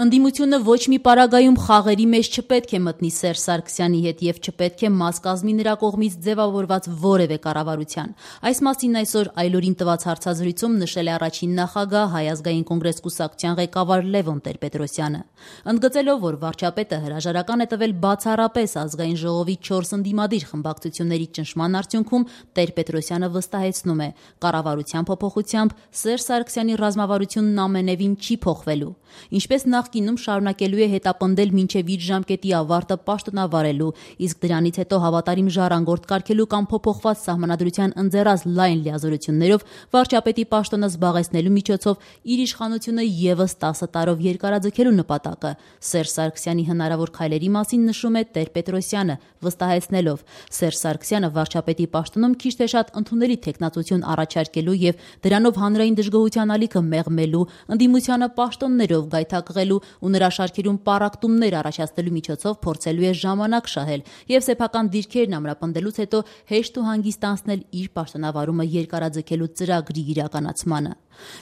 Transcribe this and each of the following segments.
Ընդդիմությունը ոչ մի պարագայում խաղերի մեջ չպետք է մտնի Սերժ Սարգսյանի հետ եւ չպետք է մաս կազմի նրա կողմից ձևավորված որևէ կառավարության։ Այս մասին այսօր Այլորին տված հարցազրույցում նշել է առաջին նախագահ Հայ ազգային կոնգրես կուսակցության ղեկավար Լևոն Տեր-Պետրոսյանը։ Ընդգծելով, որ վարչապետը հրաժարական է տվել բացառապես ազգային ժողովի 4 ընդդիմադիր խմբակցությունների ճնշման արդյունքում, Տեր-Պետրոսյանը վստահեցնում է, կառավարության փոփոխությամբ Սերժ Սարգսյանի ռազմավարությունն ամենևին չի փոխվելու։ Ինչպես նախկինում շարունակելու է հետապնդել մինչև իր ժամկետի ավարտը պաշտոնավարելու, իսկ դրանից հետո հավատարիմ ժառանգորդ կարգելու կամ փոփոխված սահմանադրության ընձեռած լայն լիազորություններով վարչապետի պաշտոնը զբաղեցնելու միջոցով իր իշխանությունը ևս 10 տարով երկարաձգելու նպատակը։ Սերժ Սարգսյանի հնարավոր քայլերի մասին նշում է Տեր-Պետրոսյանը, վստահեցնելով, Սերժ Սարգսյանը վարչապետի պաշտոնում քիչ թե շատ ընդունելի թեկնածություն առաջարկելու եւ դրանով հանրային դժգոհության ալիքը մեղմելու, ընդդիմությանը պաշտոններով գայթակղելու ու նրա շարքերում պառակտումներ առաջացնելու միջոցով փորձելու է ժամանակ շահել եւ սեփական դիրքերն ամրապնդելուց հետո հեշտ ու հանգիստ անցնել իր պաշտոնավարումը երկարաձգելու ծրագրի իրականացմանը։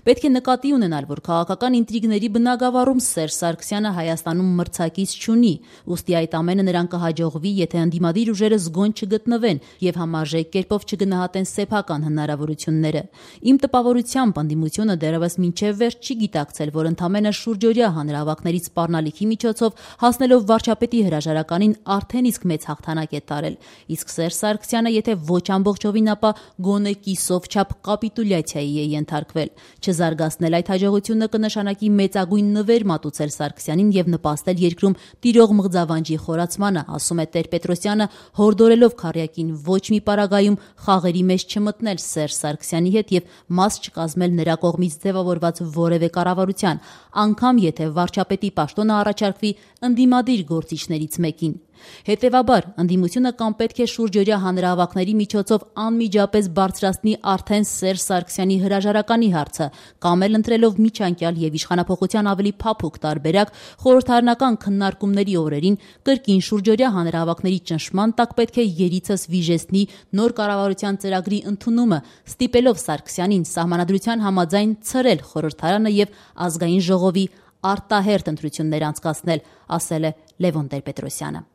Պետք է նկատի ունենալ, որ քաղաքական ինտրիգների բնագավառում Սերժ Սարգսյանը Հայաստանում մրցակից չունի, ուստի այդ ամենը նրան կհաջողվի, եթե ընդդիմադիր ուժերը զգոն չգտնվեն եւ համարժեք կերպով չգնահատեն սեփական հնարավորությունները։ Իմ տպավորությամբ ընդդիմությունը դեռևս մինչև վերջ չի գիտակցել, որ ընդամենը շուրջօրյա հանրահավաքների սպառնալիքի միջոցով հասնելով վարչապետի հրաժարականին արդեն իսկ մեծ հաղթանակ է տարել, իսկ Սերժ Սարգսյանը եթե ոչ ամբողջովին, ապա գոնե կիսով չափ կապիտուլյացիայի է ենթարկվել։ Չզարգացնել այդ հաջողությունը կնշանակի մեծագույն նվեր մատուցել Սարգսյանին եւ նպաստել երկրում տիրող մղձավանջի խորացմանը, ասում է Տեր-Պետրոսյանը, հորդորելով քառյակին ոչ մի պարագայում խաղերի մեջ չմտնել Սերժ Սարգսյանի հետ եւ մաս չկազմել նրա կողմից ձևավորված որևէ կառավարության, անգամ եթե վարչապետի պաշտոնը առաջարկվի ընդդիմադիր գործիչներից մեկին։ Հետևաբար, ընդդիմությունը կամ պետք է շուրջօրյա հանրահավաքների միջոցով անմիջապես բարձրացնի արդեն Սերժ Սարգսյանի հրաժարականի հարցը, կամ էլ ընտրելով միջանկյալ եւ իշխանափոխության ավելի փափուկ տարբերակ խորհրդարանական քննարկումների օրերին կրկին շուրջօրյա հանրահավաքների ճնշման տակ պետք է երիցս վիժեցնի նոր կառավարության ծրագրի ընդունումը, ստիպելով Սարգսյանին սահմանադրության համաձայն ցրել խորհրդարանը եւ ազգային ժողովի արտահերթ ընտրություններ անցկացնել, ասել է Լևոն Տեր-Պետրոսյանը։